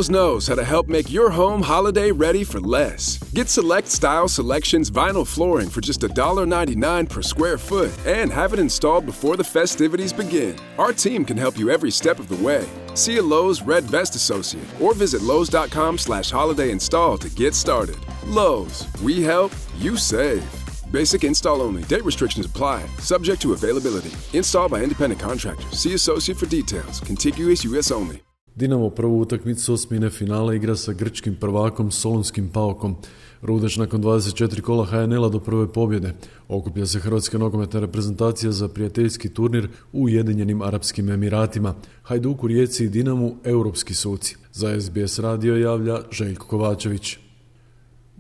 Lowe's knows how to help make your home holiday ready for less. Get Select Style Selections vinyl flooring for just $1.99 per square foot and have it installed before the festivities begin. Our team can help you every step of the way. See a Lowe's Red Vest associate or visit Lowe's.com/holiday install to get started. Lowe's, we help, you save. Basic install only. Date restrictions apply. Subject to availability. Installed by independent contractors. See associate for details. Contiguous US only. Dinamo prvu utakmicu osmine finala igra sa grčkim prvakom Solunskim PAOK-om. Rudeš nakon 24 kola HNL-a do prve pobjede. Okuplja se hrvatska nogometna reprezentacija za prijateljski turnir u Ujedinjenim Arapskim Emiratima. Hajduku, Rijeci i Dinamu europski suci. Za SBS radio javlja Željko Kovačević.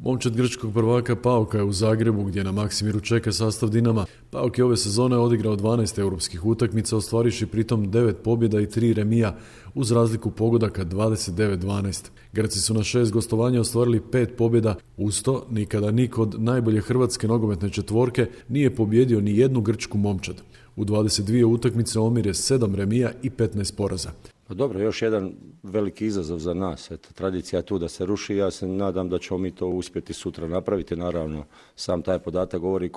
Momčad grčkog prvaka PAOK-a je u Zagrebu gdje na Maksimiru čeka sastav Dinama. PAOK je ove sezone odigrao 12 europskih utakmica, ostvariši pritom 9 pobjeda i 3 remija uz razliku pogodaka 29-12. Grci su na 6 gostovanja ostvarili 5 pobjeda, uz to nikada niko od najbolje hrvatske nogometne četvorke nije pobjedio ni jednu grčku momčad. U 22 utakmice omjer je 7 remija i 15 poraza. Pa dobro, još jedan veliki izazov za nas. Eto, tradicija je tu da se ruši. Ja se nadam da ćemo mi to uspjeti sutra napraviti. Naravno, sam taj podatak govori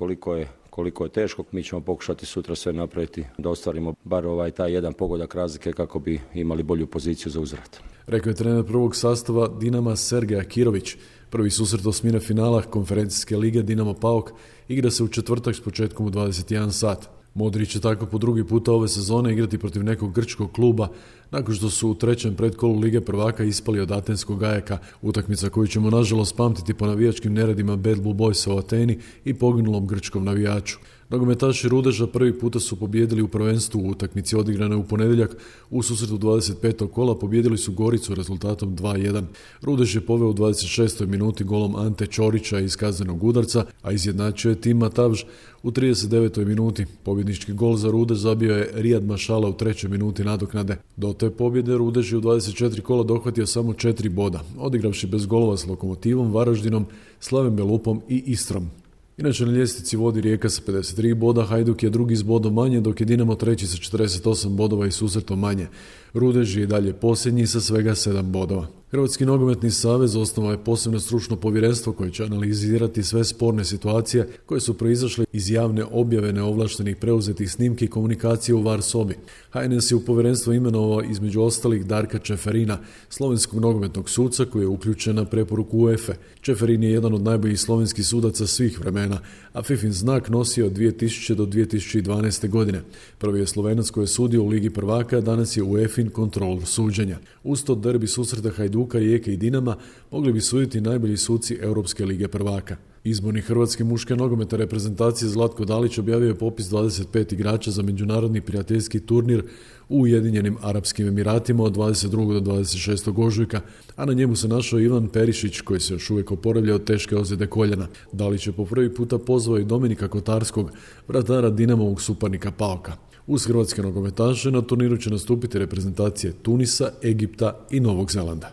koliko je teško. Mi ćemo pokušati sutra sve napraviti da ostvarimo bar taj jedan pogodak razlike kako bi imali bolju poziciju za uzvrat. Rekao je trener prvog sastava Dinama Sergej Akirović. Prvi susret osmine finala konferencijske lige Dinamo PAOK igra se u četvrtak s početkom u 21 sat. Modrić će tako po drugi puta ove sezone igrati protiv nekog grčkog kluba nakon što su u trećem predkolu Lige prvaka ispali od atenskog Ajaka, utakmica koju ćemo nažalost pamtiti po navijačkim neredima Bad Blue Boysa u Ateni i poginulom grčkom navijaču. Nogometaši Rudeža prvi puta su pobijedili u prvenstvu u utakmici odigrane u ponedjeljak. U susretu 25. kola pobijedili su Goricu rezultatom 2-1. Rudež je poveo u 26. minuti golom Ante Ćorića iz kaznenog udarca, a izjednačio je Tim Matavž u 39. minuti. Pobjednički gol za Rudež zabio je Rijad Mašala u 3. minuti nadoknade. Do te pobjede Rudež je u 24 kola dohvatio samo 4 boda, odigravši bez golova s Lokomotivom, Varaždinom, Slaven Belupom i Istrom. Inače na ljestvici vodi Rijeka sa 53 boda, Hajduk je drugi s bodom manje, dok je Dinamo treći sa 48 bodova i susretom manje. Rudež je i dalje posljednji sa svega 7 bodova. Hrvatski nogometni savez osnovao je posebno stručno povjerenstvo koje će analizirati sve sporne situacije koje su proizašle iz javne objave neovlaštenih preuzetih snimki komunikacije u VAR sobi. HNS je u povjerenstvo imenovao između ostalih Darka Čeferina, slovenskog nogometnog suca koji je uključen na preporuku UEFA. Čeferin je jedan od najboljih slovenskih sudaca svih vremena, a FIFIN znak nosio od 2000 do 2012. godine. Prvi je Slovenac koji je sudio u Ligi prvaka, a danas je UEFIN kontrolor suđenja. Uz to derbi susreta Hajduka, Rijeke i Dinama mogli bi suditi najbolji suci Europske lige prvaka. Izborni hrvatske muške nogometne reprezentacije Zlatko Dalić objavio je popis 25 igrača za međunarodni prijateljski turnir u Ujedinjenim Arapskim Emiratima od 22. do 26. ožujka, a na njemu se našao Ivan Perišić koji se još uvijek oporavlja od teške ozljede koljena. Dalić je po prvi puta pozvao i Dominika Kotarskog, vratara Dinamovog suparnika PAOK-a. Uz hrvatske nogometaše na turniru će nastupiti reprezentacije Tunisa, Egipta i Novog Zelanda.